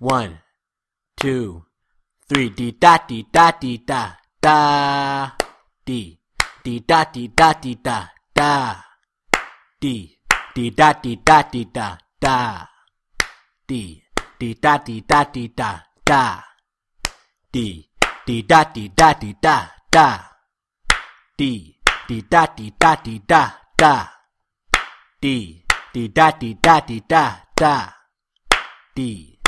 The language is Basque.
1, 2, 3. Dee da dee da dee da da. Dee da dee da dee da da. Dee da dee da dee da da. Dee da dee da dee da da. Dee da dee da dee da da. Dee da dee da dee da da. Dee da dee da dee da da. Dee